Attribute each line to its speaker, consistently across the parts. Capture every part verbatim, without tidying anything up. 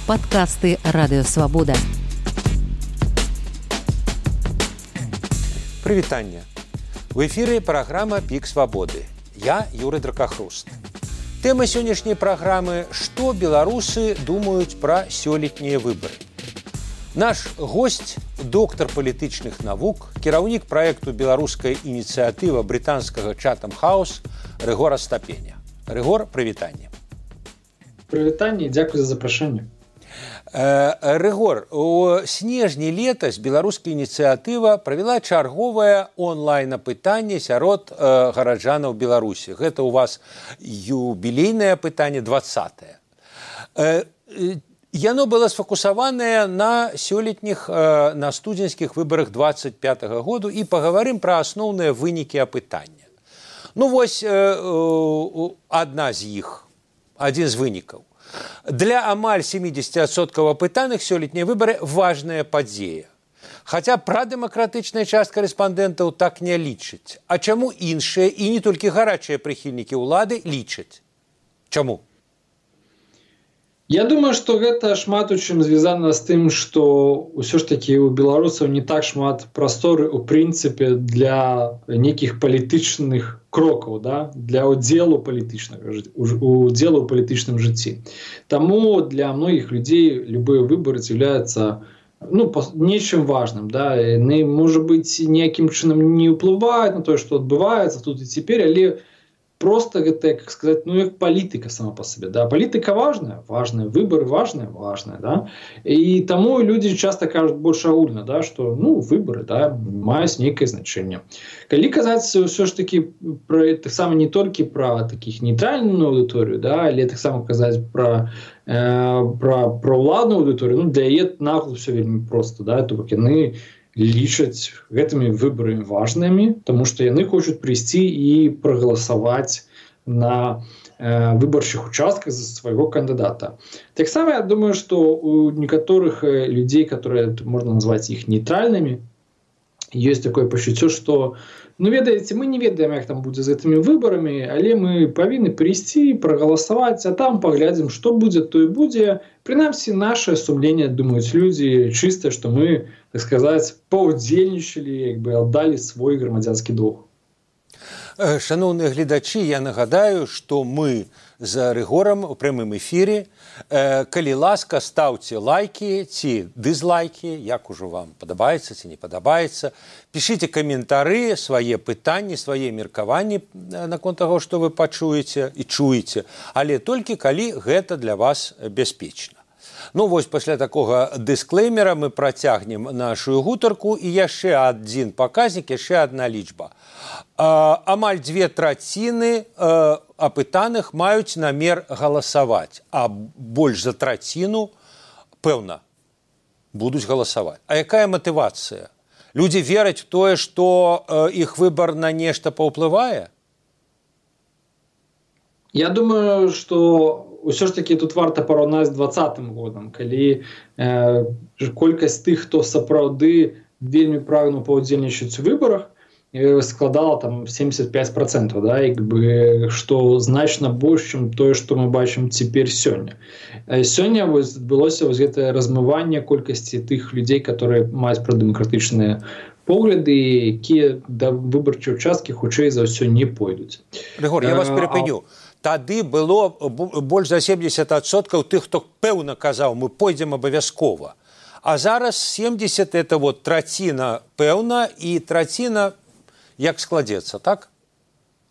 Speaker 1: Подкасты «Радыё Свабода».
Speaker 2: Прывітанне. В эфіры праграма «Пік свабоды». Я Юрый Дракахруст. Тэма сённяшняй праграмы «Што беларусы думаюць пра сёлетнія выбары?». Наш госць – доктар палітычных навук, кіраўнік праекту «Беларуская ініцыятыва» брытанскага Chatham House Рыгор Астапеня. Рыгор, прывітанне.
Speaker 3: Прывітанне, дзякуй за запрашэнне.
Speaker 2: Рыгор, у снежні летась беларуская ініцыятыва правяла чарговае онлайн-апытанне сярод э, гараджанаў Беларусі. Гэта у вас юбілейнае апытанне двадцатае. Э, яно было сфокусаванае на сёлетніх, э, на студзеньскіх выбарах двадцать пятага году і пагаварым пра асноўныя вынікі апытання. Ну вось э, э, адна з іх, адзін з вынікаў. Для амаль семьдесят адсоткаў апытаных сёлетнія выбары важная падзея. Хаця прадэмакратычная частка рэспандэнтаў так не лічыць. А чаму іншыя і не толькі гарачыя прыхільнікі ўлады лічаць? Чаму?
Speaker 3: Я думаю, што гэта шмат у чым звязана з тым, што ўсё ж такі у беларусаў не так шмат прасторы у прынцыпе для нейкіх палітычных крокаў, да? Для удзелу палітычнага удзелу ў палітычным жыцці. Таму для многіх людзей любыя выбары з'яўляюцца ну, нечым важным. Да? Яны, можа быць, ніякім чынам не ўплываюць на тое, што адбываецца тут і цяпер, але просто гэта, как сказать, ну, як палітыка сама по себе. Да? Палітыка важная, важная, выборы важные, важные. Да? И тому люди часто кажут больше агульна, да, что ну, выборы да, маюць нейкае значение. Калі казаць все ж таки про это самое не только про таких нейтральную аудиторию, да, але так само казаць про э, про про уладную аудиторию, ну, для яе нагло все вельмі просто, да, то бок яны лічаць гэтымі выбарамі важнымі, тому што яны хочуць прыйсці і прагаласаваць на э, выбарчых участках за свайго кандыдата. Таксама я думаю, што у некаторых людзей, которые можна назваць іх нейтральнымі, ёсць такое пачуццё, што ну ведаеце, мы не ведаем, як там будзе з гэтымі выбарамі, але мы павінны прыйсці, прагаласаваць, а там паглядзім, што будзе, то і будзе. Прынамсі, наше сумленне думаюць людзі чыста, што мы, так сказаць, паўдзельнічалі, як бы аддалі свой грамадзянскі долг.
Speaker 2: Шановныя гледачы, я нагадаю, што мы з Рыгорам у прямым эфіры. Калі ласка, ставце лайкі ці дызлайкі, як ужо вам падабаецца ці не падабаецца. Пішыце каментары, свае пытанні, свае меркаванні наконт таго, што вы пачуеце і чуеце, але толькі калі гэта для вас бяспечна. Ну вось пасля такога дысклеймера мы працягнем нашу гутарку і яшчэ адзін паказнік, яшчэ адна лічба. Амаль дзве траціны апытаных маюць намер галасаваць, а больш за траціну, пэўна, будуць галасаваць. А якая матывацыя? Людзі вераць у тое, што іх выбар на нешта паўплывае?
Speaker 3: Я думаю, што ўсё ж таки тут варта параўнаць з двадцатым годам, калі э, колькасць тых, хто сапраўды вельмі прагнуў паўдзельнічаць у выбарах, складала там семьдесят пять процентов, да, як бы, што значна больш, чым тое, што мы бачым цяпер сёння. Сёння вось адбылося вось гэтае размыванне колькасці тых людзей, которые маюць прадэмакратычныя погляды, якія да выбарчай участкі хутчэй за ўсё не пойдуць.
Speaker 2: Рыгор, я вас перапыню. Тады было больш за семьдесят адсоткаў тых, хто пэўна казаў, мы пойдзем абавязкова. А зараз семьдесят это вот траціна пэўна і траціна як складецца, так?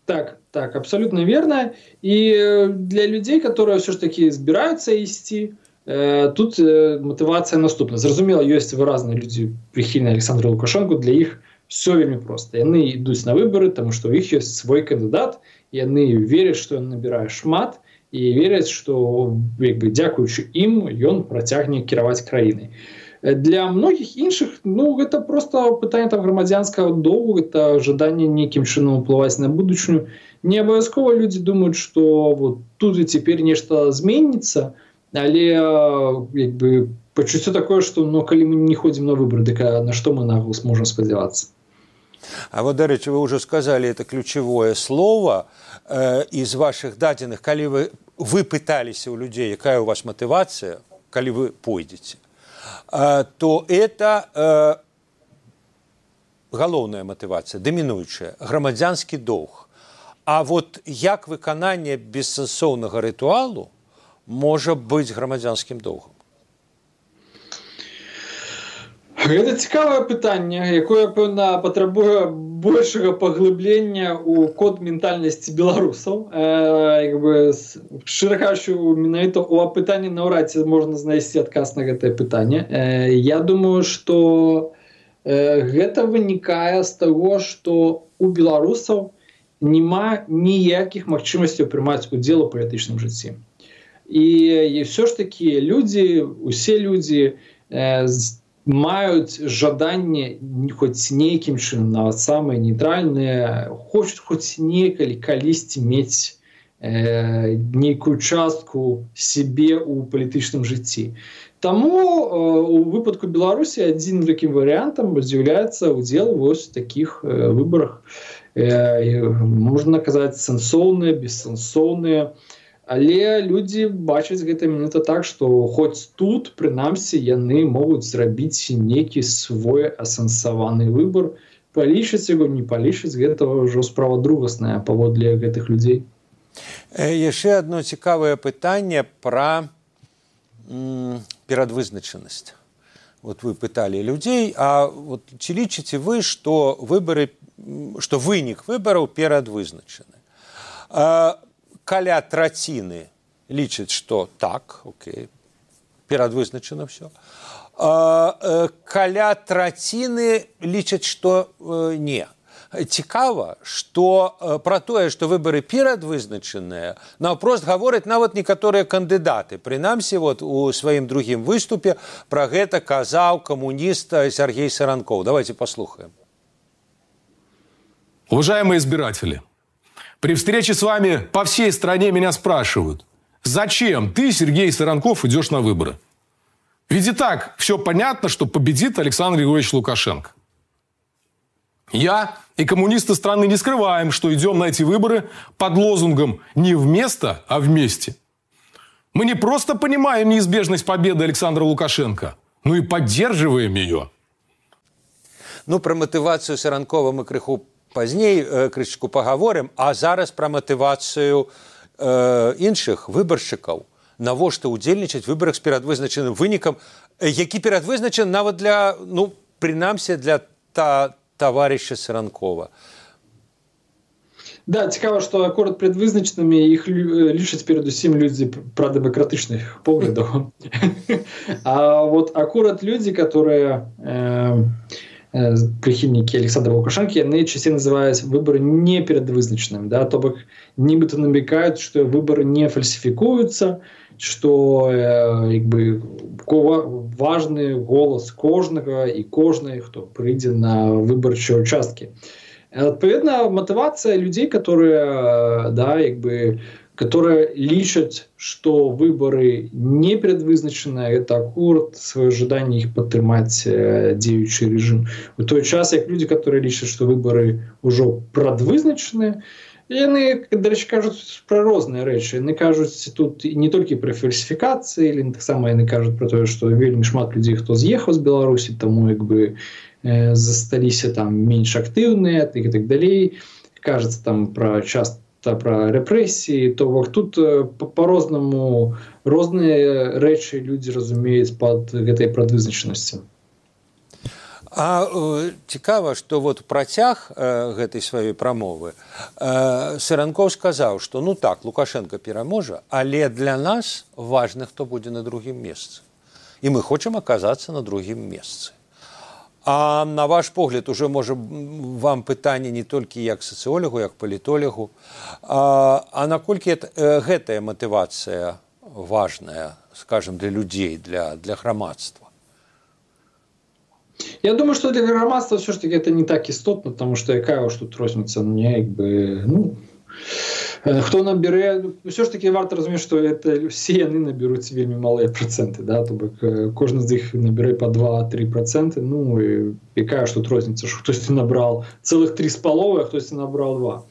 Speaker 3: Так, так, абсолютно верно. И для людей, которые все ж таки збираюцца ісці, э, тут э, мотивация наступна. Зразумела, ёсць выразныя людзі прыхільныя Александру Лукашенку, для іх все вельмі проста. Яны ідуць на выборы, тому што ў іх ёсць свой кандыдат, яны вераць, што ён набірае шмат, і вераць, што як бы, дзякуючы ім ён працягне кіраваць краінай. Для многіх іншых, ну, гэта просто пытанне там грамадзянскага долгу, гэта жаданне нейкім чынам уплываць на будучыню. Не абавязкова людзі думаюць, што вот тут і цяпер нешта зменіцца, але як бы пачуццё такое, што ну, калі мы не ходзім на выбары, дык на што мы наглас можам спадзявацца?
Speaker 2: А вот, дарэчы, вы уже сказали это ключевое слово э, из ваших дадзеных, калі вы, вы пыталіся у людзей, якая у вас мотивация, калі вы пойдзеце, то это галоўная матывацыя, дамінуючая, грамадзянскі доўг. А вот як выкананне бессэнсоўнага рытуалу можа быць грамадзянскім доўгам?
Speaker 3: Гэта цікавае пытанне, якое, пэўна, патрабуе большага паглыблення ў код ментальнасці беларусаў. Э, як бы, шчыра кажучы, менавіта ў апытанні наўрад ці можна знайсці адказ на гэтае пытанне. Э, я думаю, што э, гэта вынікае з таго, што у беларусаў няма ніякіх магчымасцяў прымаць удзел у палітычным жыцці. І, і ўсё ж такі людзі, усе людзі э, маюць жаданне хоць нейкім чынам, нават самыя нейтральныя, хочуць хоць некалі калісьці мець э, нейкую частку сябе ў палітычным жыцці. Таму э, у выпадку Беларусі адзін такім варыянтам з'яўляецца удзел вось у такіх э, выбарах. Э, можна казаць, сэнсоўныя, бессэнсоўныя. Але людзі бачаць гэта менавіта так, што хоць тут, прынамсі, яны могуць зрабіць нейкі свой асэнсаваны выбар. Палічыць яго, не палічыць, гэта ўжо справа другасная паводле гэтых людзей.
Speaker 2: Яшчэ адно цікавае пытанне пра м, перадвызначанасць. Вот вы пыталі людзей, а вот ці лічыце вы, што выбары, што вынік выбараў перадвызначаны? А, каля траціны лічаць, што так, окей, перадвызначана ўсё. А, каля траціны лічаць, што э, не. Цікава, што э, пра тое, што выбары перадвызначаныя, наўпрост гавораць нават некаторыя кандыдаты. Прынамсі, вот, у сваім другім выступе пра гэта казаў камуніст Сергей Саранков. Давайте послухаем.
Speaker 4: Уважаемые избиратели, при встрече с вами по всей стране меня спрашивают, зачем ты, Сергей Саранков, идешь на выборы? Ведь и так все понятно, что победит Александр Григорьевич Лукашенко. Я и коммунисты страны не скрываем, что идем на эти выборы под лозунгом «не вместо, а вместе». Мы не просто понимаем неизбежность победы Александра Лукашенко, но и поддерживаем ее.
Speaker 2: Ну, про мотивацию Саранкова мы крыху пазней э, крышечку паговорым, а зараз пра матывацыю э, іншых выбаршчыкаў, навошта ўдзельнічаць у выбарах з перадвызначаным вынікам, які перадвызначаны нават для, ну, прынамсі, для та, таварыша Саранкова.
Speaker 3: Да, цікава, што акурат предвызначанымі іх лічаць перадусім людзі прадэмакратычных поглядаў. А вот акурат людзі, которые э, прихильники Александра Лукашенко, яны часцей называюць выборы не перадвызначанымі, да, то бок нібыта намекаюць, што выборы не фальсифікуюцца, што э, як бы важны голас кожнага і кожнай, хто прыйдзе на выбарчыя участкі. Адпаведна, мотивация людей, которые, да, як бы, которые лічаць, што выборы не предвызначаныя, это акурат свое жаданне іх падтрымаць дзеючы режим. У той час, як люди, которые лічаць, што выборы ўжо прадвызначаныя, яны, дарэчы, кажуць пра розныя рэчы. Яны кажуць тут не толькі пра фальсіфікацыі, але таксама яны кажуць пра тое, што вельмі шмат людзей, хто з'ехаў з Беларусі, таму як бы э, засталіся там менш актыўныя, так і так далей. Кажацца там пра часто пра рэпрэсіі, то бок тут э, па-рознаму розныя рэчы людзі разумеюць пад гэтай прадвызначанасцю.
Speaker 2: А э, цікава, што вот працяг э, гэтай сваёй прамовы э, Саранков сказаў, што ну так, Лукашенко пераможа, але для нас важна, хто будзе на другім месцы. І мы хочам аказацца на другім месцы. А на ваш погляд, уже можа вам пытанне не толькі як сацыолягу, як палітолягу, а, а наколькі это, э, гэтая матывацыя важная, скажем, для людзей, для, для грамадства?
Speaker 3: Я думаю, что для громадства все-таки это не так істотно, потому что якая уж тут розница, мне как бы, ну, хто набере, все ж таки варто разумець, что это все яны наберуць вельмі малыя проценты, да, то бок кожны з іх набере по два-три проценты, ну, и якая ж тут розница, что хтосьці набрал целых три с половой, а хтосьці набрал два.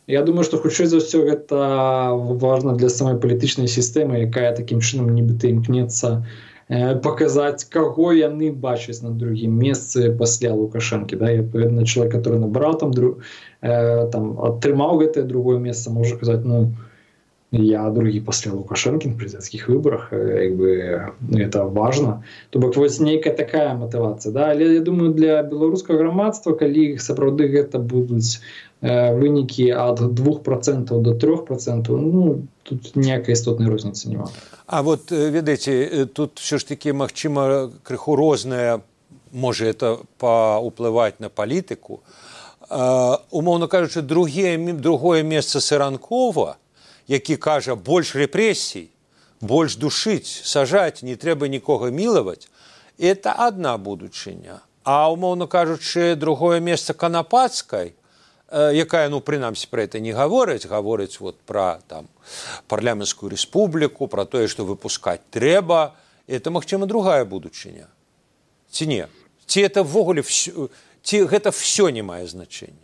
Speaker 3: Я думаю, что хутчэй за ўсё гэта важно для самой палітычнай сістэмы, якая такім чынам нібыта імкнецца показаць, каго яны бачаць на другім месцы пасля Лукашэнкі. Да? І, адпаведна, чалавек, который набраў там, там атрымаў гэтае другое месца, можа казаць, ну, я другі пасля Лукашэнкі на прэзідэнцкіх выбарах, як бы, это важна. То бок вось нейкая такая матывацыя. Да? Але я думаю, для беларускага грамадства, калі сапраўды гэта будуць э, вынікі ад двух процентаў до трёх процентаў, ну, тут ніякай істотнай розніцы няма.
Speaker 2: А вот, ведаеце, тут все ж таки, магчыма, крыху рознае, можа это паўплываць на палітыку. Э, умоўна кажучы, другое, другое месца Саранкова, які кажа, больш рэпрэсій, больш душыць, сажаць, не трэба нікога мілаваць, это адна будучыня. А, умоўна кажучы, другое месца Канапацкай, э, якая, ну, прынамсі, пра это не гаворыць, гаворыць вот пра там парламенцкую рэспубліку, пра тое, што выпускаць трэба, это, магчыма, другая будучыня. Ці не? Ці это ввогуле, ці гэта всё не мае значэння?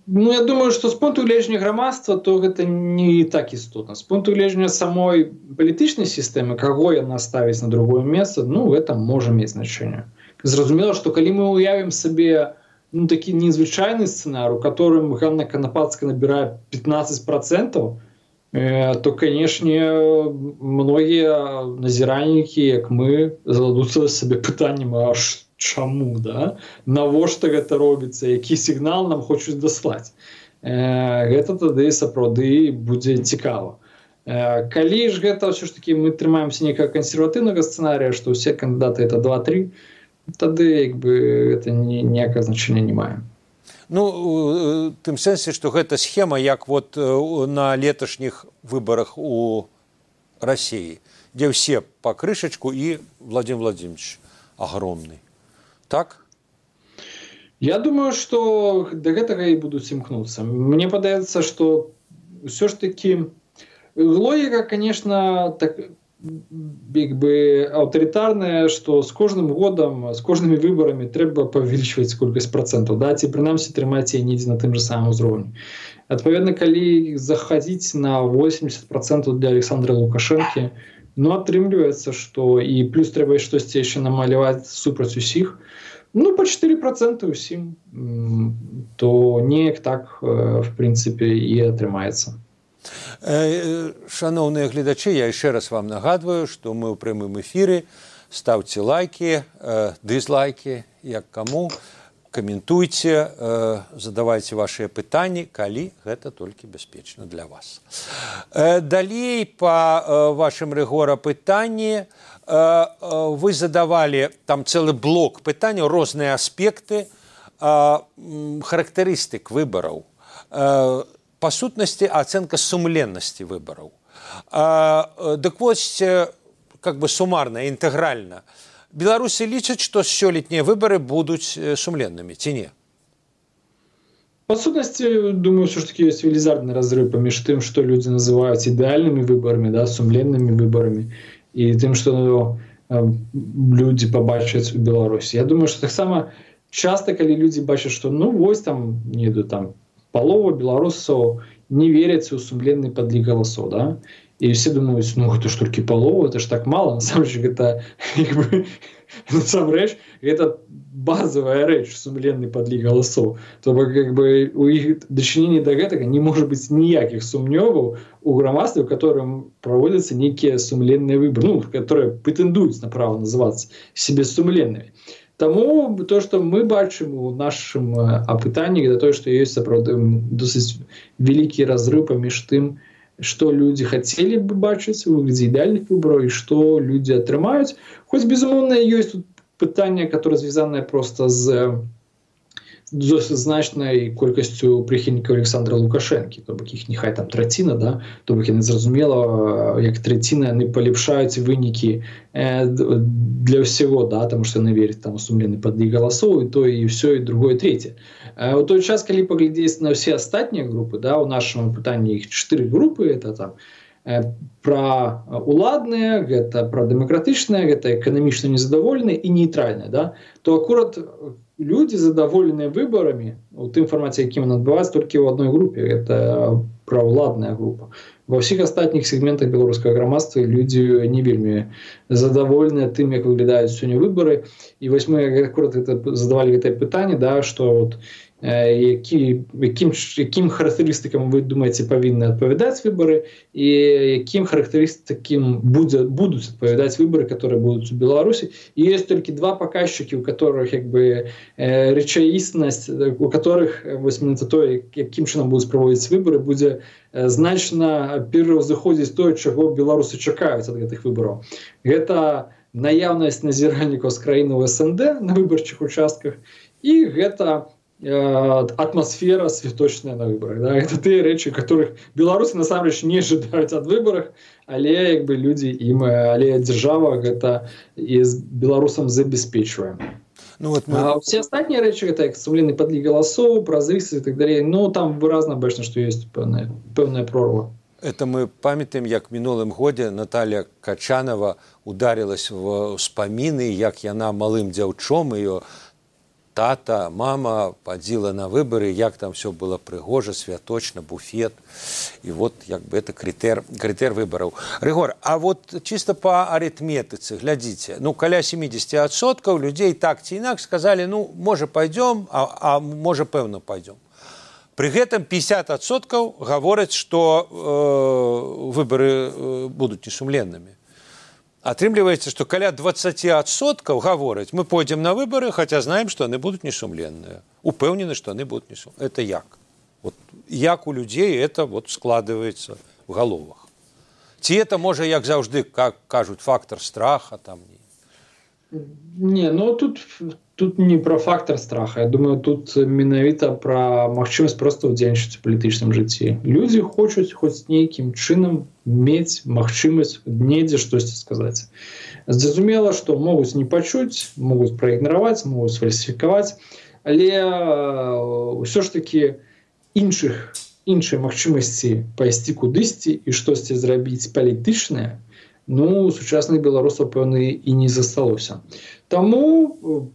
Speaker 3: Ну, я думаю, што з пункту гледжання грамадства, то гэта не так істотна. З пункту гледжання самой палітычнай сістэмы, каго яна ставіць на другое месца, ну, гэта можа мець значэнне. Зразумела, што калі мы уявім сабе, ну, такі незвычайны сцэнар, у которым Ганна Канапацкая набірае пятнадцать процентов, э, то, канешне, многія назіральнікі, як мы, зададуцца сабе пытаннем, а што? Чаму, да? Навошта гэта робіцца, які сігнал нам хочуць даслаць. Э, гэта тады сапраўды будзе цікава. Э, калі ж гэта ўсё ж такі мы трымаемся нейкага кансерватыўнага сцэнарыя, што ўсе кандыдаты это два-тры, тады як бы гэта ніякага значэння не мае.
Speaker 2: Ну, тым сэнсе, што гэта схема, як вот на леташніх выбарах у Расіі, дзе ўсе па крышачку і Владимир Владимирович агромны. Так?
Speaker 3: Я думаю, што да гэтага і будуць імкнуцца. Мне падаецца, што ўсё ж такі логіка, конечно, так, як бы аўтарытарная, што з кожным годам, з кожнымі выбарамі трэба павялічваць колькасць процентаў, да, ці прынамсі трымаць яе недзе на тым жа самым узроўні. Адпаведна, калі захадзіць на восемьдесят процентов для Александра Лукашэнкі, ну, атрымліваецца, што і плюс трэба штосьці яшчэ намаляваць супраць усіх, ну, по четыре процента усім, то неяк так, в прынцыпе, і атрымаецца.
Speaker 2: Шановныя гледачы, я яшчэ раз вам нагадваю, што мы ў прямым эфіры. Ставце лайки, дызлайки, як каму, каментуйце, задавайце вашыя пытанні, калі гэта толькі бяспечна для вас. Далей па вашым рэгора пытанні вы задавали там цэлы блок пытанняў, розныя аспекты характарыстык выбараў, па сутнасці ацэнка сумленнасці выбараў. Дык вось, как бы суммарно, інтэгральна, беларусы лічаць, што сёлетнія выбары будуць сумленнымі, ці не?
Speaker 3: По сутнасці, думаю, все ж таки ёсць велізарны разрыв паміж тым, што людзі называюць ідэальнымі выбарамі, да, сумленнымі выбарамі, і тым, што ну, людзі пабачаць у Беларусі. Я думаю, што таксама часта, калі людзі бачаць, што ну вось там, не іду, там палова беларусаў не веряць у сумленны падлік галасоў, да? І все думаюць, ну гэта ж толькі палова, это ж так мала. Насамрэч, гэта, як бы, насамрэч, гэта базовая рэч, сумленны падлік галасоў. То бок, як бы, у іх дачыненні да гэтага не можа быць ніякіх сумневаў у грамадстве, у которым праводзяцца нейкія сумленныя выборы, ну, которые прэтэндуюць на права называцца себе сумленнымі. Таму то, што мы бачым у нашым апытанні, гэта тое, што ёсць сапраўды досыць вялікі разрыв паміж тым, што людзі хацелі бы бачыць у выглядзе ідэальных выбараў і што людзі атрымаюць. Хоць, безумоўна, ёсць тут пытанне, которое звязанае проста з досыць значнай колькасцю прыхільнікаў Александра Лукашэнкі, то бок іх няхай там траціна, да? То бок яны зразумела, як траціна яны палепшаюць вынікі для ўсяго, да? Таму што яны вераць там у сумленны падлік галасоў, і то, і ўсё, і другое, і трэцяе. У той час, калі паглядзець на ўсе астатнія групы, да, у нашым пытанні іх чатыры групы, это там пра уладныя, гэта пра дэмакратычныя, гэта эканамічна незадаволеныя і нейтральныя, да? То акурат людзі задаволеныя выбарамі у тым фармаце, якім ён адбываецца, толькі ў адной групе. Это праўладная група. Ва ўсіх астатніх сегментах беларускага грамадства людзі не вельмі задаволеныя тым, як выглядаюць сёння выбары. І вось мы акурат задавалі гэтае пытанне, да, што вот які, якім, якім характарыстыкам вы думаеце павінны адпавядаць выбары і якім характарыстыкам будзе, будуць адпавядаць выбары, которые будуць у Беларусі. І ёсць толькі два паказчыкі, у которых як бы рэчаіснасць, у которых вось менавіта тое, якім чынам будуць праводзіць выбары, будзе значна пераўзыходзіць тое, чаго беларусы чакаюць ад гэтых выбараў. Гэта наяўнасць назіральнікаў з краіны ў эс эн дэ на выбарчых участках і гэта атмасфера святочная на выборах. Да? Это те рэчы, которых беларусы насамрэч не ожидают от выборах, але як бы люди им, але держава гэта и с беларусам забеспечиваем. Ну, вот мы... А все остальные рэчы, это як сумленный подлік голосов, празрысы и так далее, ну там выразна бачна, что есть пэўная, пэўная прорва.
Speaker 2: Это мы памятаем, як мінулым годзе Наталья Качанова ударилась в успаміны, як яна малым дзяўчом, ее тата, мама падзіла на выборы, як там все было прыгожа, святочна, буфет. И вот як бы это крытэр, крытэр выбораў. Рыгор, а вот чисто по аритметице, глядите, ну, каля семьдесят процентов людей так ці інакш сказали, ну, може пойдем, а, а може пэўна пойдем. При гэтым пятьдесят процентов говорят, что э, выборы э, будут несумленными. Атрымліваецца, што каля двадцать процентов говорят, мы пойдем на выборы, хотя знаем, что они будут несумленные. Упэўнены, что они будут несумленные. Это як? Вот, як у людей это вот складывается в головах. Ці это, може, як заўжды, как кажут, фактор страха там?
Speaker 3: Не, ну тут, тут не про фактор страха. Я думаю, тут менавіта про магчымасць просто ўдзельнічаць у палітычным жыцці. Людзі хочуць хоць нейкім чынам мець магчымасць недзе штосьці сказаць. Зразумела, што могуць не пачуць, могуць праігнараваць, могуць сфальсіфікаваць, але ўсё ж такі іншых, іншай магчымасці пайсці кудысьці і штосьці зрабіць палітычнае, ну, у сучасных беларусаў, пэўна, і не засталося. Таму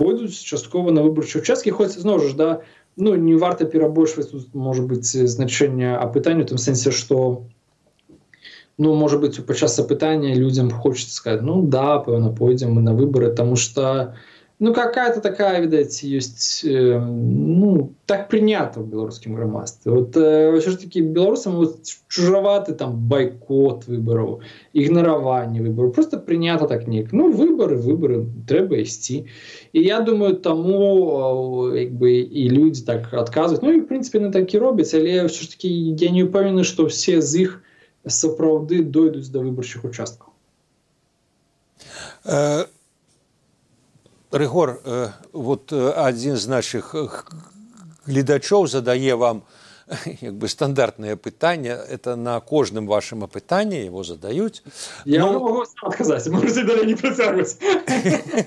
Speaker 3: пойдуць часткова на выбарчыя участкі, хоць, зноў жа, да, ну, не варта перабольшваць тут, можа быць, значэнне апытання, у тым сэнсе, што, ну, можа быць, падчас апытання людзям хочацца сказаць, ну, да, пэўна, пойдзем мы на выбары, таму што, ну, какая-то такая, видать, есть, э, ну, так принято в белорусском громадстве. Вот э, все-таки белорусам вот, чужоваты там бойкот выборов, игнорирование выборов. Просто принято так ник. Ну, выборы, выборы, треба ісці. И я думаю, тому э, как бы, и люди так отказывают. Ну, и, в принципе, не так и робят. Але все-таки я не упевнений, что все з их сапраўды дойдут до выборчих участков.
Speaker 2: Uh... Рыгор, вот один з наших глядачоў задае вам як бы стандартное пытанне, это на кожным вашым апытанні его задаюць.
Speaker 3: Я ну... могу сам отказать, можете далее не працягваць.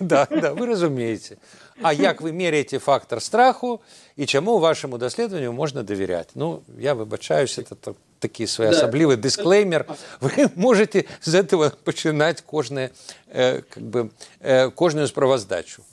Speaker 2: Да, да, вы разумеете. А як вы меряете фактор страху и чему вашему даследаванню можно доверять? Ну, я выбачаюсь, это такий своеособливый да. дисклеймер. Вы можете з этого починать кожне, э, как бы, э, кожную справаздачу.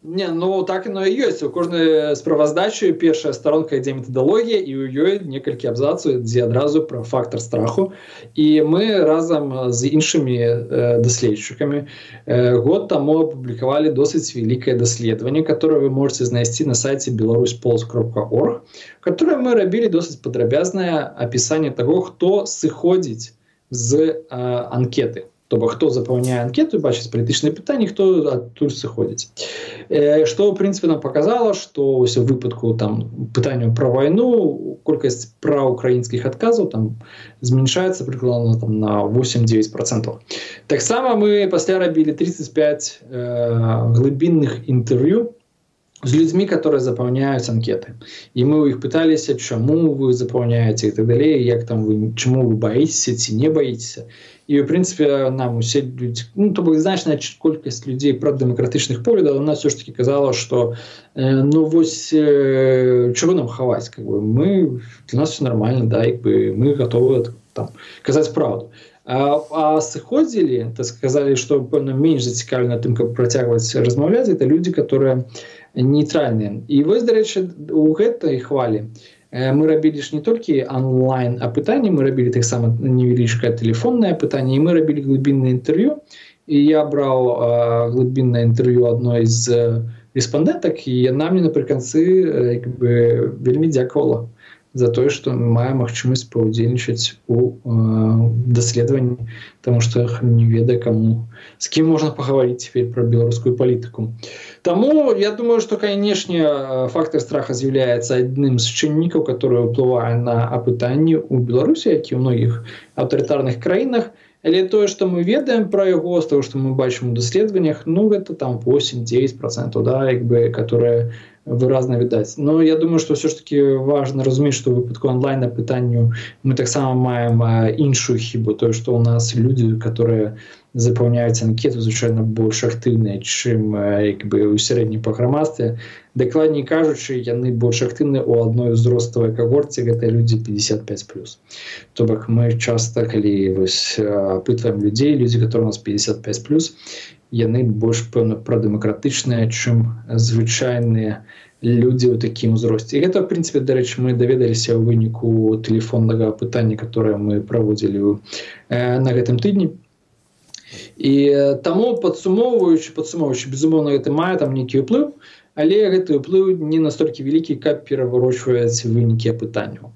Speaker 3: Не, ну так оно и есть. У кожнай справаздачы першая сторонка ідзе методологія, і ў ёй некалькі абзацаў ідзе адразу про фактор страху. І мы разам з іншымі э, даследчыкамі э, год таму апублікавалі досыць вялікае даследаванне, которое вы можете знайсці на сайте беларусь полс кропка орг, которое мы рабілі досыць падрабязнае апісанне таго, хто сыходзіць з э, анкеты. То бок, хто запаўняе анкету, бачыць палітычныя пытанні, хто адтуль сыходзіць. Э, што, ў прынцыпе, нам паказала, што ў выпадку там, пытанняў пра вайну, колькасць праўкраінскіх адказаў там, змяншаецца прыкладна там, на восемь-девять процентов. Таксама мы пасля рабілі тридцать пять э, глыбінных інтэрв'ю з людзьмі, которые запаўняюць анкеты. І мы ў іх пыталіся, чаму вы запаўняеце і так далей, як там вы, чаму вы баіцеся ці не баіцеся. І, в принципе, нам усе люди, ну, то бок значная колькасць людзей прадэмакратычных поглядаў, она все ж таки казала, что э, ну вось э, чего нам хаваць, как бы мы для нас все нормально, да, як бы мы готовы там казаць правду. А, а сыходзілі, то сказали, что пэўна менш зацікаўлены тым, каб працягваць размаўляць, это люди, которые нейтральныя. І вось, дарэчы, у гэтай хвалі Мы рабілі ж не толькі онлайн апытанні, мы рабілі таксама невялічкае тэлефоннае апытанне, і мы рабілі глыбіннае інтэрв'ю. І я браў э, глыбіннае інтэрв'ю адной з рэспандэнтак, і яна мне напрыканцы э, як бы, вельмі дзякавала за тое, што мы маем магчымасць паўдзельнічаць у э, даследаванні, таму што не ведае каму, з кім можна пагаварыць цяпер пра беларускую палітыку. Таму я думаю, што, канешне, фактор страха з'яўляецца адным з чыннікаў, который ўплывае на апытанні ў Беларусі, як і ў многіх аўтарытарных краінах. Але тое, што мы ведаем пра яго, з таго, што мы бачым у даследаваннях, ну, гэта там восемь-дзевяць процентаў, да, як бы, которые выразна відаць. Но я думаю, што ўсё ж таки важна разумець, што ў выпадку онлайн-апытанню мы таксама маем іншую хібу, тое, што ў нас людзі, которые запаўняюць анкету, звычайна больш актыўныя, чым як бы ў сярэднім па грамадстве. Дакладней кажучы, яны больш актыўныя ў адной узроставай кагорце, гэта людзі пятьдесят пять плюс. То бок мы часта, калі вось апытваем людзей, людзі, которые у нас пятьдесят пять плюс, яны больш, пэўна, прадэмакратычныя, чым звычайныя людзі ў такім узросце. І гэта, в прынцыпе, дарэчы, мы даведаліся ў выніку тэлефоннага апытання, которое мы праводзілі э, на гэтым тыдні. І таму, падсумоўваючы, падсумоўваючы, безумоўна, гэта мае там нейкі ўплыў, але гэты ўплыў не настолькі вялікі, каб пераварочваць вынікі апытанняў.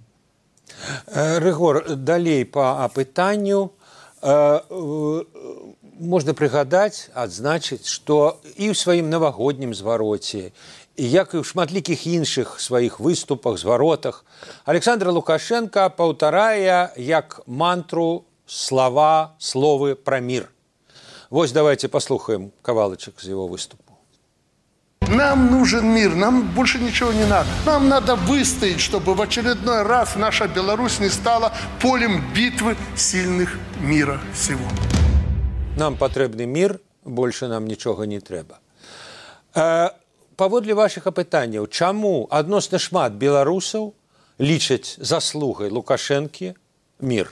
Speaker 2: Рыгор, далей па апытанню можна прыгадаць, адзначыць, што і ў сваім навагоднім звароце, і як і ў шматлікіх іншых сваіх выступах, зваротах, Александр Лукашенко паўтарае як мантру слова, словы пра мір. Вось давайте послухаем кавалочек из его выступа.
Speaker 5: Нам нужен мир, нам больше ничего не надо. Нам надо выстоять, чтобы в очередной раз наша Беларусь не стала полем битвы сильных мира сего.
Speaker 2: Нам патрэбны мир, больше нам нічога не трэба. Э, паводле вашых апытанняў, чаму адносна шмат беларусаў лічаць заслугай Лукашэнкі мир?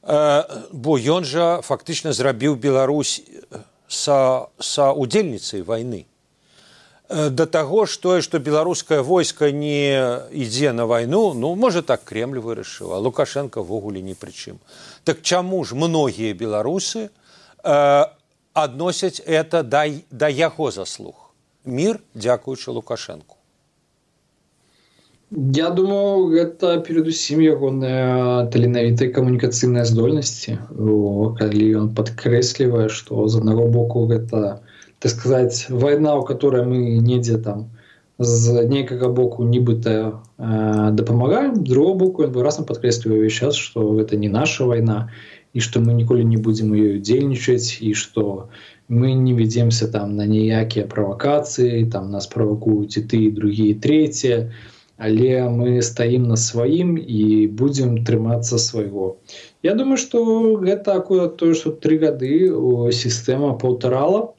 Speaker 2: Бо ён жа фактычна зрабіў Беларусь са, са удзельніцай вайны. Да таго, што, што беларускае войска не ідзе на вайну, ну, можа, так Кремль вырашыў, а Лукашенко ввогуле ні пры чым. Так чаму ж многія беларусы э, адносяць это да, да яго заслуг? Мір, дзякуючы Лукашенку.
Speaker 3: Я думаю, гэта перадусім ягоныя таленавітыя камунікацыйныя здольнасці, калі ён падкрэслівае, што з аднаго боку гэта, так сказаць, вайна, у которой мы недзе там з нейкага боку нібыта э, дапамагаем, з другого боку ён выразна падкрэслівае ўвесь час, што гэта не наша вайна, і што мы ніколі не будзем у ёй удзельнічаць, і што мы не ведземся там на ніякія правакацыі, там нас правакуюць і ты, і другія, і трэція, але мы стаім на сваім і будзем трымацца свайго. Я думаю, што гэта акурат тое, што тры гады сістэма паўтарала.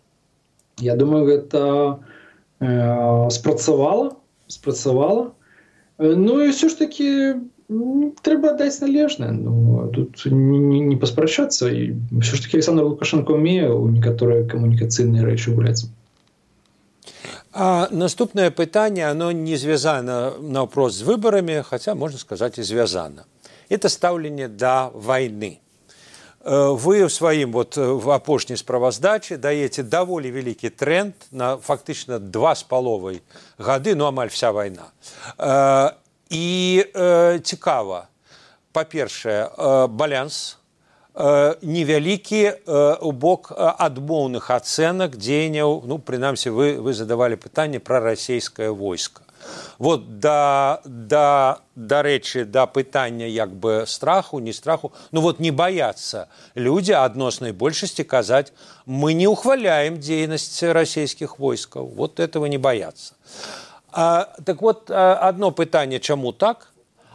Speaker 3: Я думаю, гэта э, спрацавала, спрацавала. Ну і ўсё ж такі трэба даць належнае. Ну, тут не, не, не паспрачацца. І ўсё ж такі Александр Лукашенко умее ў некаторыя камунікацыйныя рэчы гуляць.
Speaker 2: А наступное пытанне, оно не звязано наўпрост з выбарамі, хотя, можно сказать, и звязано. Это стаўленне да вайны. Вы в сваім вот, в апошняй справаздачы даеце даволі вялікі тренд на фактычна два з паловай гады, ну, амаль вся вайна. І цікава, па-першае, баланс невялікі у бок адмоўных ацэнак дзеянняў, ну, прынамсі, вы, вы задавалі пытанне пра расійскае войска. Вот да, да, да рэчы, да пытання як бы страху, не страху, ну вот не баяцца людзі адноснай большасці казаць, мы не ухваляем дзейнасць расійскіх войскаў, вот этого не баяцца. А, так вот, одно пытанне, чаму так,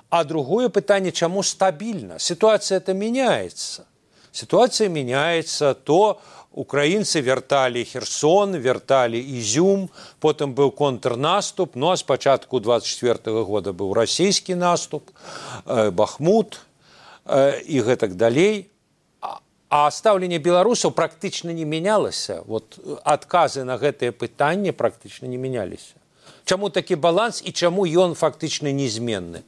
Speaker 2: а другое пытанне, чаму стабільна. Ситуация-то меняется. Ситуация меняется, то украинцы вертали Херсон, вертали Изюм, потом был контрнаступ, ну а с початку двадцать четвёртого года был российский наступ, э, Бахмут э, и гэтак далей. А стаўленне беларусаў практычна не менялось. Вот отказы на гэтые пытанні практычна не менялись. Чаму такі баланс і чаму ён фактычна незменны?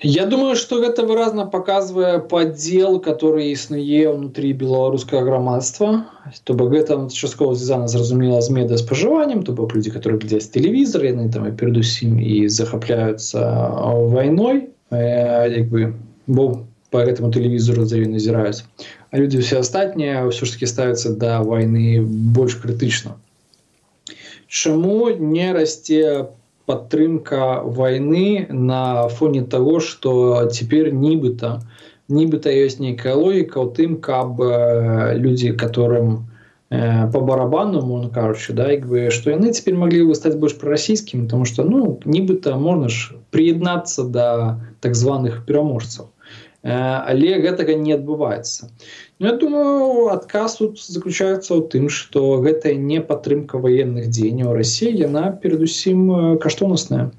Speaker 3: Я думаю, что это выразно показывает поддел, который існуе внутри белорусского громадства. То бок гэта часткова звязана, зразумела, з медыаспажываннем, то бок люди, которые глядзяць тэлевізор, яны там і перадусім і захапляюцца вайной, як бы, бо по гэтаму тэлевізору за ёй назіраюць. А люди все астатнія ўсё ж таки ставяцца да вайны больш крытычна. Чаму не расце падтрымка войны на фоне того, что теперь нібыта нібыта ёсць нейкая логіка ў тым, каб люди, которым э, по барабану, можна кажучи, да, як бы, что яны теперь могли бы стаць больш прарасійскімі, потому что, ну, нібыта можна ж приєднацца да так званых пераможцаў. Э, але гэтага не адбываецца. Ну, я думаю, адказ тут заключаецца ў тым, што гэта не падтрымка военных дзеянняў Расіі, яна перадусім каштоўнасная.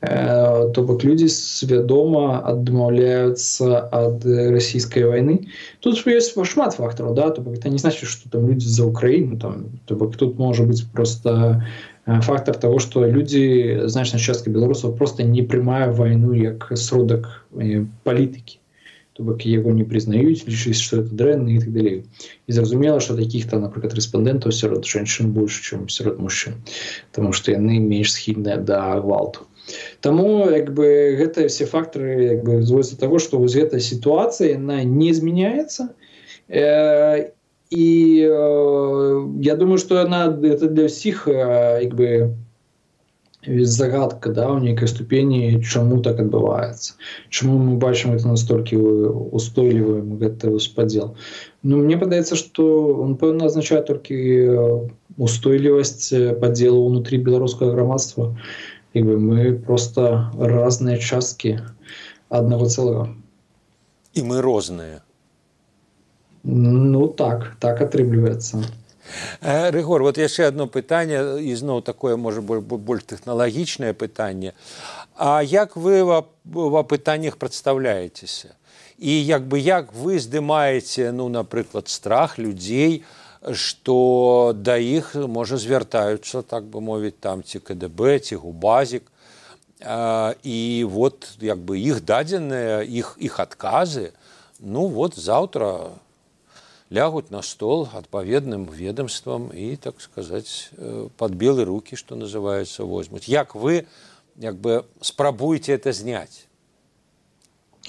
Speaker 3: Э, то бок людзі свядома адмаўляюцца ад расійскай вайны. Тут ёсць шмат фактараў, да, то бок это не значит, што там людзі за Украіну, там, то бок тут можа быць просто фактор того, што людзі, значная частка беларусаў просто не прымае вайну як сродак палітыкі. То бок яго не прызнаюць, лічыць, што это дрэнна і так далей. І зразумела, што такіх-то, напрыклад, рэспандэнтаў сярод жанчын больш, чым сярод мужчын, таму што яны менш схільныя да гвалту. Таму, як бы, гэтыя все фактары, як бы, зводзяцца да таго, што вось гэтая сітуацыя, яна не змяняецца. Э, і э, я думаю, што яна это для ўсіх, э, як бы, загадка, да, у нейкай ступені, чаму так адбываецца. Чаму мы бачым это настолькі устойлівым, гэты спадзел. Ну, мне падаецца, што он, пэўна, азначае толькі устойлівасць падзелу ўнутры беларускага грамадства. Як бы мы просто разныя часткі аднаго цэлага.
Speaker 2: І мы розныя.
Speaker 3: Ну, так, так атрымліваецца.
Speaker 2: Рыгор, вот яшчэ одно пытанне, і зноў такое, можа, больш тэхналагічнае пытанне. А як вы ва пытаннях прадстаўляецеся? І як бы як вы здымаеце, ну, напрыклад, страх людзей, што да іх, можа, звяртаюцца, так бы мовіць, там ці ка дэ бэ, ці губазік, і вот як бы іх дадзеныя, іх, іх адказы, ну, вот заўтра лягуць на стол адпаведным ведомствам і, так сказаць, пад белы рукі, што называецца, возьмуць. Як вы, як бы, спрабуеце это зняць?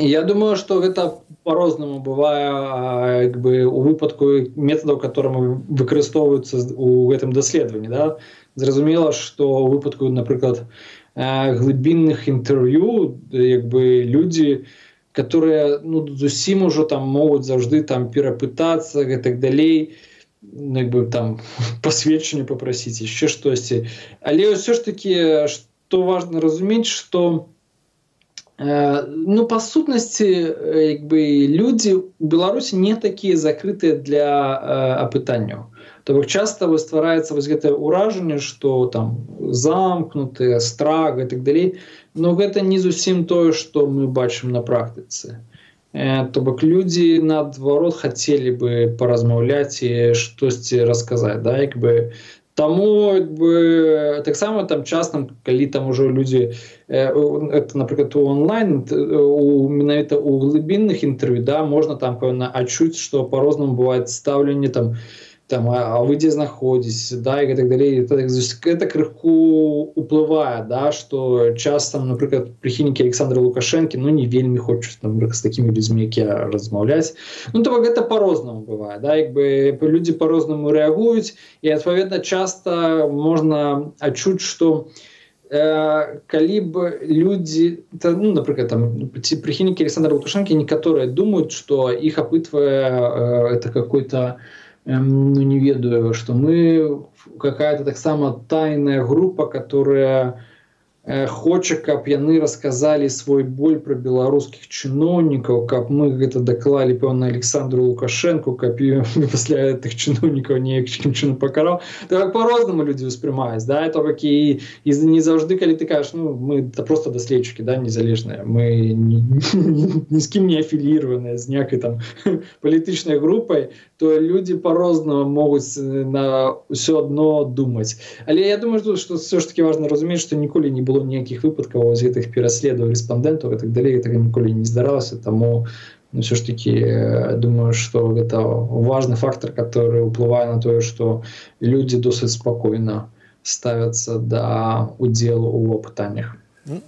Speaker 3: Я думаю, што гэта по-рознаму бывае, як бы, у выпадку метадаў, которые выкарыстоўваюцца у гэтым даследаванні, да? Зразумела, што у выпадку, напрыклад, глыбінных інтэрв'ю, як бы, людзі, которые, ну, зусім ужо там могуць заўжды там перапытацца і так далей, ну, як бы там пасведчанне папрасіць, яшчэ штосьці. Але ўсё ж такі, што важна разумець, што э, ну, па сутнасці, як бы, людзі ў Беларусі не такія закрытыя для э, апытанняў. То бок часта ствараецца вось гэтае ўражанне, што там замкнутыя, страх і так далей. Но гэта не зусім тое, што мы бачым на практыцы. Э, то бок людзі, наадварот, хацелі бы паразмаўляць і штосьці расказаць. Да? Як бы, таму, як бы, таксама там часта, калі там ужо людзі, э, это, напрыклад, у онлайн, у, менавіта у глыбінных інтэрв'ю, да, можна там, пэўна, адчуць, што па-рознаму бывае стаўленне там, там, а вы дзе знаходзіцеся, да, і так далей. Это, это крыху уплывае, да, што часта, напрыклад, прыхільнікі Александра Лукашэнкі, ну, не вельмі хочуць, напрыклад, з такімі людзьмі, як я, размаўляць. Ну, то гэта по-рознаму бывае, да, як бы людзі по-рознаму рэагуюць, і, адпаведна, часта можна адчуць, што э, калі б людзі, ну, напрыклад, там, прыхільнікі Александра Лукашэнкі, некаторыя думаюць, што іх апытвае э, это какой-то, ну, не ведаю, что мы какая-то так само тайная группа, которая хоча, каб яны расказалі свой боль пра беларускіх чыноўнікаў, каб мы гэта даклалі, пэўна, Александру Лукашенку, каб пасля тых чыноўнікаў неякім чынам пакараў. Так по-рознаму людзі ўспрымаюць, да, то бок і, і не заўжды, калі ты кажаш, ну, мы да, просто даследчыкі, да, незалежныя, мы ні, ні з кім не афіліраваныя з някай там палітычнай групай, то людзі по-рознаму могуць на ўсё адно думаць. Але я думаю, што все ж таки важна разумець, што ніколі не было ніякіх выпадкаў з гэтых пераследаў рэспандэнтаў і так далей, гэтага ніколі не здаралася, таму ну, все ж таки думаю, што гэта важны фактор, который ўплывае на тое, што людзі досыць спакойна ставяцца да удзелу ў апытаннях.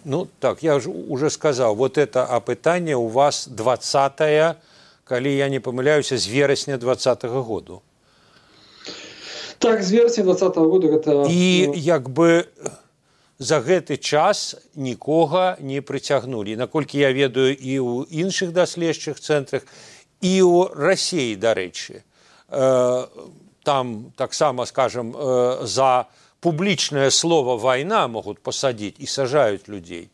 Speaker 2: Ну так, я ж уже сказаў, вот это апытанне у вас двадцатае, калі я не памыляюся, з верасня двадцатага году.
Speaker 3: Так, з верасня двадцатага года гэта...
Speaker 2: І як бы... За гэты час нікога не прыцягнулі. Наколькі я ведаю і ў іншых даследчых цэнтрах, і ў Расіі, дарэчы. Там таксама, скажем, за публічнае слово «вайна» могуць пасадзіць і сажаюць людзей.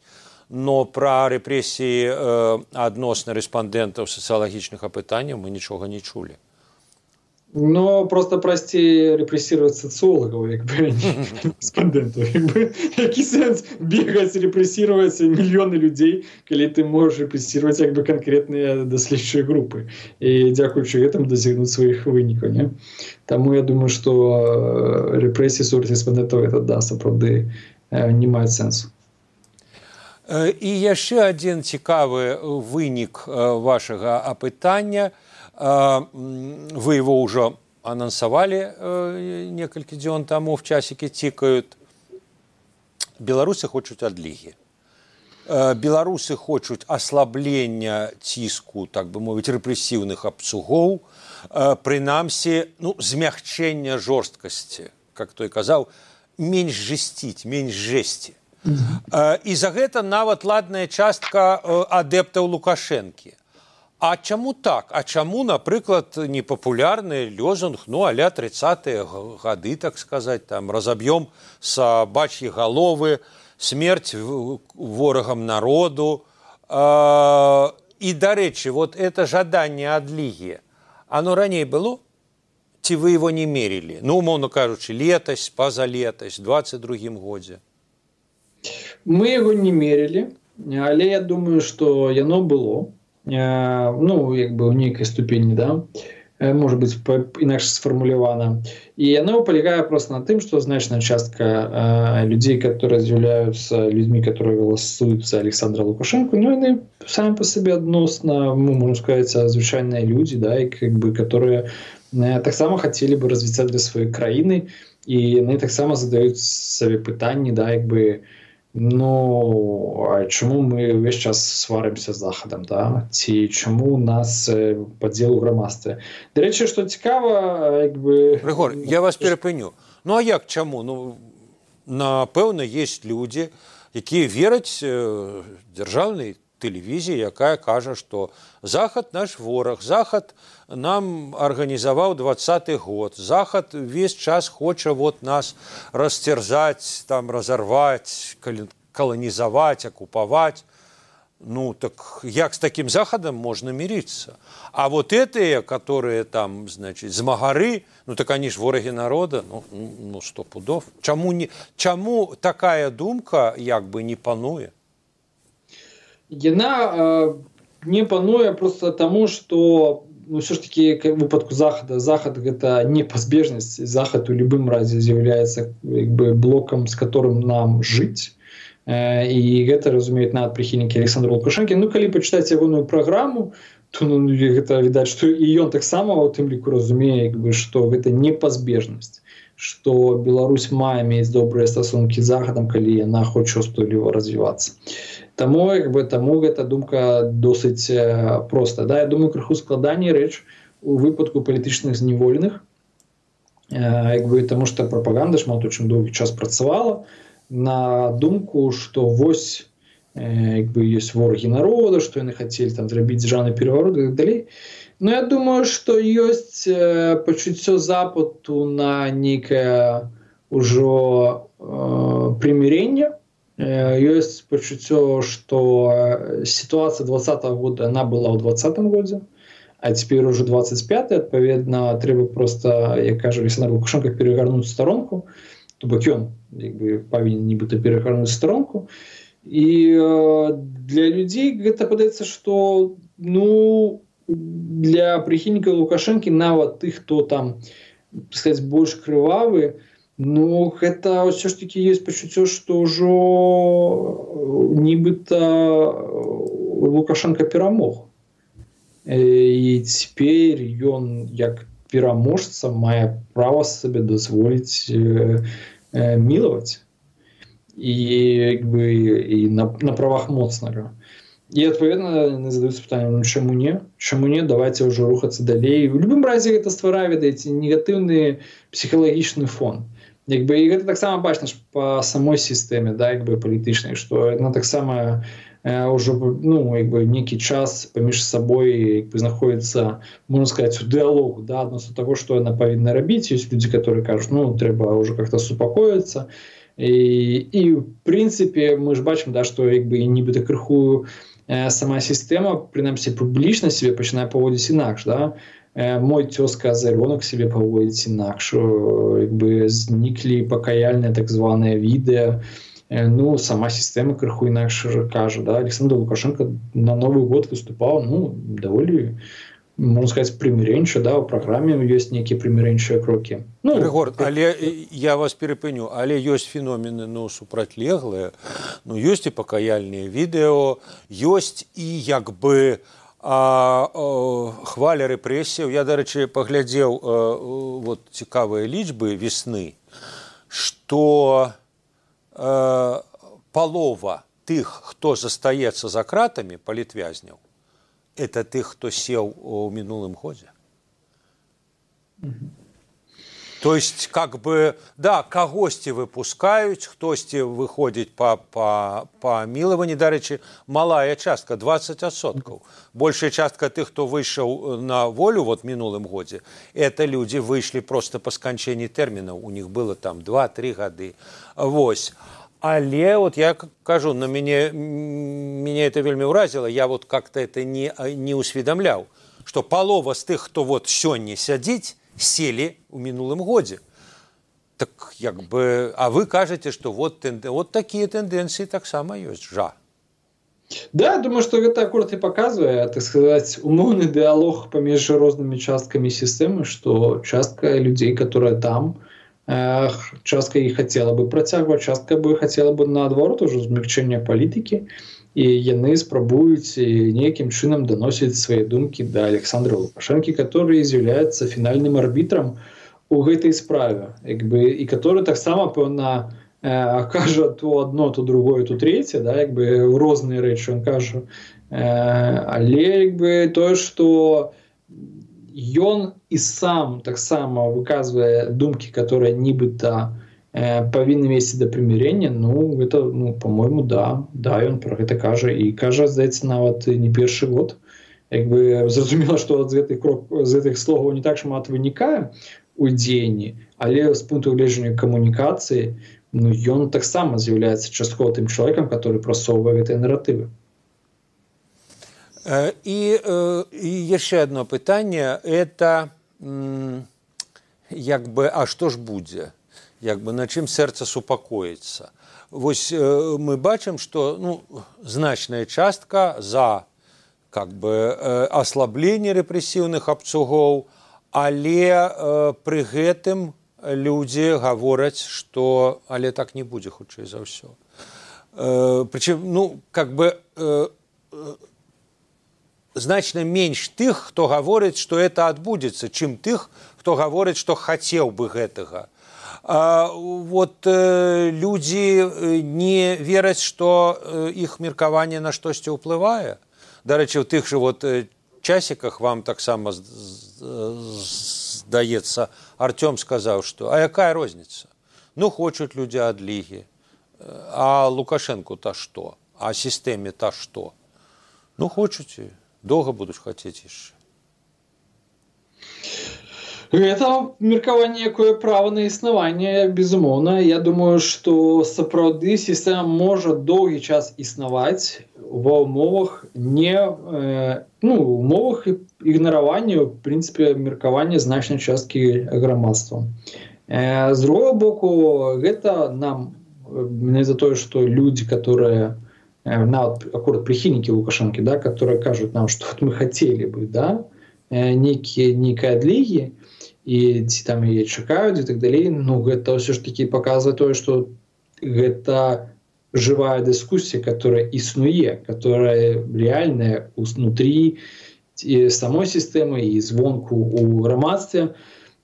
Speaker 2: Но пра рэпрэсіі адносна рэспандэнтаў сацыялагічных апытанняў мы нічога не чулі.
Speaker 3: Но просто прасцей рэпрэсіраваць сацыолагаў, як бы, рэспандэнтаў. Які сэнс бегаць, рэпрэсіраваць мільёны людзей, калі ты можаш рэпрэсіраваць як бы канкрэтныя даследчыя групы. І дзякуючы гэтаму дасягнуць сваіх вынікаў, не? Таму я думаю, што рэпрэсіі супраць рэспандэнтаў гэта, да, сапраўды не маюць сэнсу.
Speaker 2: І яшчэ адзін цікавы вынік вашага апытання. Вы его уже анонсовали некалькі дзён тому, в часике тикают. Беларусы хочуць адлігі. Беларусы хочуць аслаблення ціску, так бы мовіць, рэпрэсіўных абцугоў, прынамсі, ну, змягчэння жорсткасці, как той казаў, менш жесціць, менш жесці. Mm-hmm. І за гэта нават ладная частка адэптаў Лукашэнкі. А чаму так? А чаму, напрыклад, непапулярны лозунг, ну, а-ля тридцатые гады, так сказать, там, разобьем собачьи головы, смерть ворогам народу. И, дарэчы, вот это жаданне адлігі, оно раней было? Ці вы его не мерили? Ну, умоўно кажучы, летась, пазалетась, двадцать другім годзе.
Speaker 3: Мы его не мерили, але я думаю, что яно было. Ну, як бы ў нейкай ступені, да, может быть, інакш сфармулявана. І яно палягае просто на тым, што значная частка э, людзей, которые з'яўляюцца людзьмі, которые галасуюць за Александра Лукашенко, ну, яны самі па сабе адносна, ну, можна сказаць, звычайныя людзі, да, і, как бы, которые э, таксама хацелі бы развіцця для сваёй краіны, і яны таксама задаюць сабе пытанні, да, як бы, ну, а чаму мы ўвесь час сварымся з Захадам, да? Ці чаму у нас падзел у грамадстве? Дарэчы, што цікава, як бы...
Speaker 2: Рыгор, я вас перапыню. Ну, а як чаму? Ну, напэўна, ёсць людзі, якія вераць дзяржаўнай тэлевізіі, якая кажа, што Захад наш вораг, Захад нам арганізаваў двадцаты год, Захад весь час хоча вот нас расцерзаць, там, разорваць, каланізаваць, акупаваць. Ну, так як з таким Захадом можно мириться? А вот этие, которые там, значит, змагары, ну, так они ж вороги народа, ну, ну сто пудов. Чаму, не, чаму такая думка, як бы, не пануе?
Speaker 3: Яна э, не пануе просто тому, что, ну, все ж таки, в выпадку Захада, Захад это непазбежнасць, Захад у любым разе з'яўляецца, як бы, блоком, с которым нам жить. Э, и гэта разумеюць нават прыхільнікі Александра Лукашэнкі. Ну, калі пачытаць ягоную праграму, то, ну, гэта відаць, што і ён таксама у тым ліку разумее, як бы, што гэта непазбежнасць, што Беларусь мае мець добрыя стасункі з Захадам, калі яна хоча устойліва развівацца. Таму, як бы, таму гэта думка досыць проста. Да? Я думаю, крыху складаней рэч у выпадку палітычных зняволеных, як бы, таму што прапаганда шмат у чым доўгі час працавала на думку, што вось, як бы, ёсць ворагі народа, што яны хацелі там зрабіць дзяржаўны пераварот і так далей. Но я думаю, што ёсць пачуццё запыту на нейкае ўжо э, прымірэнне, Ёсць пачуццё, што сітуацыя двадцатого года она была ў двадцатым годзе, а цяпер ужо двадцать пятый, адпаведна трэба проста, як кажа Александр Лукашенко, перагарнуць старонку, то бок ён як бы павінен нібыта перагарнуць старонку. І э, для людзей гэта падаецца, што ну для прыхільнікаў Лукашэнкі, нават тых, хто там, так сказаць, больш крывавы, ну, гэта ўсё ж такі ёсць пачуццё, што ўжо нібыта Лукашенко перамог. І цяпер ён, як пераможца, мае права сабе дазволіць э, э, мілаваць. І, як бы, і на, на правах моцнага. І, адпаведна, задаюцца пытаннем, ну, чаму не? Чаму не? Давайце ўжо рухацца далей. У любым разе гэта стварае, ведаеце, негатыўны псіхалагічны фон. Як бы, і гэта таксама бачна ж па самой сістэме, да, як бы, палітычнай, што яна таксама э, ўжо, ну, як бы, нейкі час паміж сабой, як бы, знаходіцца, можна сказаць, у дыалогу, да, адносно таго, што яна павінна рабіць. Ёсць людзі, которые кажуць, ну, трэба ўжо как-то супакоіцца. І, і в прынцыпе, мы ж бачым, да, што, як бы, нібыта крыху э, сама сістэма, прынамсі, публічна сябе пачынае паводзіць інакш, да. Мой цёзка Азарёнок себе паводзіць інакш, як бы зніклі пакаяльныя так званыя відэа, ну, сама сістэма крыху інакш кажа, да, Александр Лукашенко на Новы год выступаў, ну, даволі, можна сказаць, прымірэнча, да, у праграме ёсць нейкія прымірэнчыя крокі. Ну,
Speaker 2: Рыгор, але я вас перапыню, але ёсць феномены, ну, супрацьлеглыя, ну, ёсць і пакаяльныя відэо, ёсць і, як бы, А, о, хваля рэпрэсіяў. Я, дарэчы, паглядзеў э, вот, цікавыя лічбы весны, што э, палова тых, хто застаецца за кратамі, палітвязняў, это тых, хто сеў у мінулым годзе. Mm-hmm. То есть, как бы, да, кагосьці выпускаюць, хтосьці выходзіць па, па, па мілаванні, дарэчы, малая частка, двадцать адсоткаў. Большая частка тых, хто выйшаў на волю вот мінулым годзе, это людзі выйшлі просто па сканчэнні тэрмінаў, у них было там два-тры гады. Вось. Але вот я кажу, на мяне, мяне это вельмі ўразіла, я вот как-то это не, не усведамляў, што палова з тых, хто вот сёння сядзіць, сели у мінулым годзе. Так, як бы, а вы кажете, что вот, тенде... вот такие тенденции таксама ёсць, жа.
Speaker 3: Да, думаю, что гэта акурат и показывае, так сказать, умоўны диалог паміж рознымі часткамі сістэмы, что частка людей, которые там, э, частка іх хотела бы працягваць, частка бы хотела бы наадварот уже змягчэння палітыкі, і яны спрабуюць нейкім чынам даносіць свае думкі да Александра Лукашэнкі, который з'яўляецца фінальным арбітрам у гэтай справе, як бы, і который таксама, пэўна, э, кажа то одно, то другое, то третье, да, як бы, розныя рэчы ён кажа. Э, але, як бы, тое, што ён і сам таксама выказвае думкі, которые нібыта павінны весці да прымірэння, ну, гэта, ну, по-моему, да, да, ён пра гэта кажа, і кажа, здаецца, нават не першы год. Як бы зразумела, што з гэтых крок, з гэтых словаў не так шмат вынікае у дзеянні, але з пункту гледжання камунікацыі, ну, ён таксама з'яўляецца часткова тым чалавекам, который прасоўвае гэтыя наратывы.
Speaker 2: І, і яшчэ одно пытанне, это, як бы, а што ж будзе? Як бы, на чым сэрца супакоіцца. Вось э, мы бачым, што, ну, значная частка за, как бы, э, аслабленне рэпрэсіўных абцугоў, але э, пры гэтым людзі гавораць, што але так не будзе, хутчэй за ўсё. Э, прычым, ну, как бы, э, э, значна менш тых, хто гаворыць, што это адбудзецца, чым тых, хто гаворыць, што хацеў бы гэтага. А, вот э, людзі не вераць, што э, іх меркаванне на штосьці ўплывае. Дарэчы, у тых жа вот э, часіках вам таксама здаецца, Артём сказаў, што а якая розніца? Ну, хочуць людзі адлігі. А Лукашэнку-то што? А сістэме-то што? Ну, хочуць, доўга будуць хацець яшчэ.
Speaker 3: Это меркаванне, якое права на існаванне, безумоўна. Я думаю, што сапраўды сістэма можа доўгі час існаваць ва ўмовах не э, ну, умовах ігнаравання, в прынцыпе, меркавання значнай часткі грамадства. Э, з другого боку, гэта нам не за тое, што людзі, которые э, нават акурат прыхільнікі Лукашэнкі, да, которые кажуць нам, што вот мы хацелі бы, да, э, нейкія нейкай адлігі, і ці там яе чакаюць і так далей, ну гэта ўсё ж такі паказвае тое, што гэта жывая дыскусія, которая існуе, которая реальная внутри самой сістэмы і звонку у грамадстве.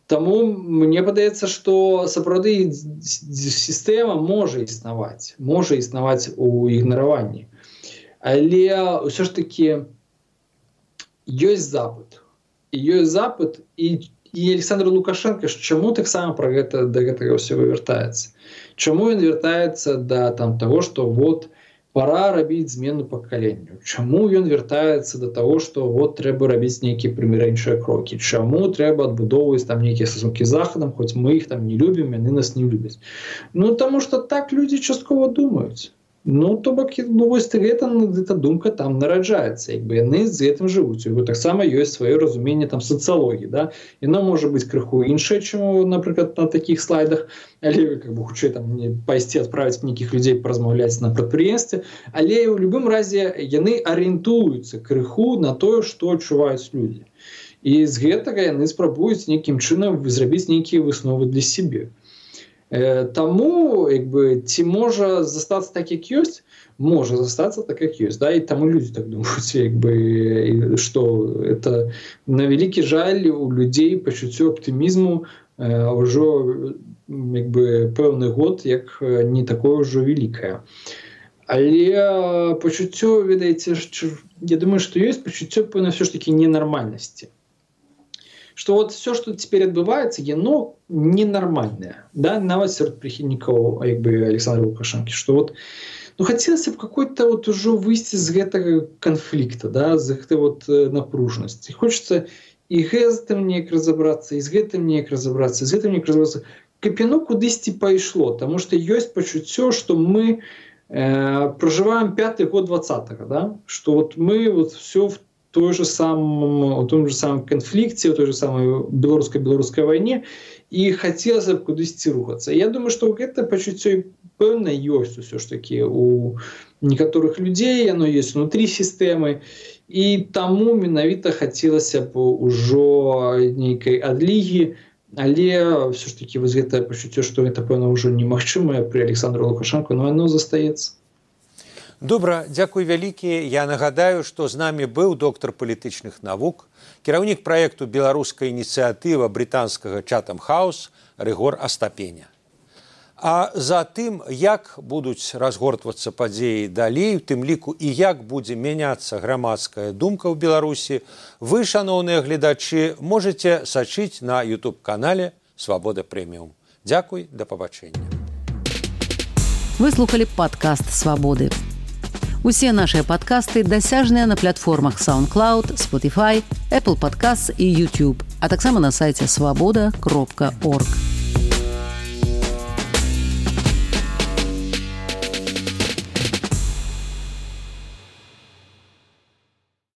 Speaker 3: Таму мне падаецца, што сапраўды сістэма можа існаваць, можа існаваць у ігнараванні. Але ўсё ж такі ёсць запыт. І ёсць запыт, і І Александр Лукашенко чаму таксама пра гэта да гэтага ўсё вяртаецца? Чаму ён вяртаецца да там таго, што вот пора рабіць змену пакаленню? Чаму ён вяртаецца да таго, што вот трэба рабіць нейкія прымірэнчыя крокі? Чаму трэба адбудоўваць там нейкія стасункі з Захадам, хоць мы іх там не любім, яны нас не любяць? Ну таму што так людзі часткова думаюць. Ну, то бок, ну, вось гэта, гэта думка там нараджаецца, як бы яны з гэтым жывуць. У яго таксама ёсць сваё разуменне там сацыялогіі, да? Яно можа быць крыху іншае, чым, напрыклад, на такіх слайдах, але как бы хутчэй там пайсці адправіць нейкіх людзей паразмаўляць на прадпрыемстве, але ў любым разе яны арыентуюцца крыху на тое, што адчуваюць людзі. І з гэтага яны спрабуюць нейкім чынам зрабіць нейкія высновы для сябе. Таму, як бы, ці можа застацца так, як ёсць? Можа застацца так, як ёсць, да? І таму людзі так думаюць, як бы, што это на вялікі жаль у людзей пачуццё аптымізму э, ўжо як бы пэўны год, як не такое ўжо вялікае. Але пачуццё, ведаеце, я думаю, што ёсць пачуццё пэўна ўсё ж такі ненармальнасці. Что вот все, что теперь отбывается, оно ненормальное, да, нават сярод прыхільнікаў, як бы, Александра Лукашэнкі, что вот, ну, хотелось бы какой-то вот уже выйти из гэтага конфликта, да, з гэтай вот напружанасці. Хочется и гэтым неяк разобраться, и з гэтым неяк разобраться, и з гэтым неяк разобраться. Каб яно кудысьці пайшло, потому что есть пачуццё, что мы э, проживаем пятый год двадцатого, да, что вот мы вот все в той же самом, в том же самом конфликте, в той же самой белорусско-белорусской войне, и хотелось бы кудысьці рухаться. Я думаю, что это пачуццё пэўна ёсць усё ж таки у некаторых людзей, оно есть внутри системы, и таму менавіта хацелася б ужо нейкай адлігі, але все ж таки вось гэтае пачуццё, што гэта пэўна ўжо немагчымае пры Александру Лукашенко, но оно застаецца.
Speaker 2: Добра, дзякуй вялікі. Я нагадаю, што з намі быў доктар палітычных навук, кіраўнік праекту «Беларуская ініцыятыва» брытанскага Chatham House Рыгор Астапеня. А за тым, як будуць разгортвацца падзеі далей, у тым ліку і як будзе мяняцца грамадская думка ў Беларусі, вы, шаноўныя гледачы, можаце сачыць на ютуб-канале «Свабода Прэміум». Дзякуй, да пабачэння.
Speaker 1: Вы слухали падкаст «Свабоды». Усе нашыя падкасты дасяжныя на платформах SoundCloud, Spotify, Apple Podcasts і YouTube, а таксама на сайце свабода кропка орг.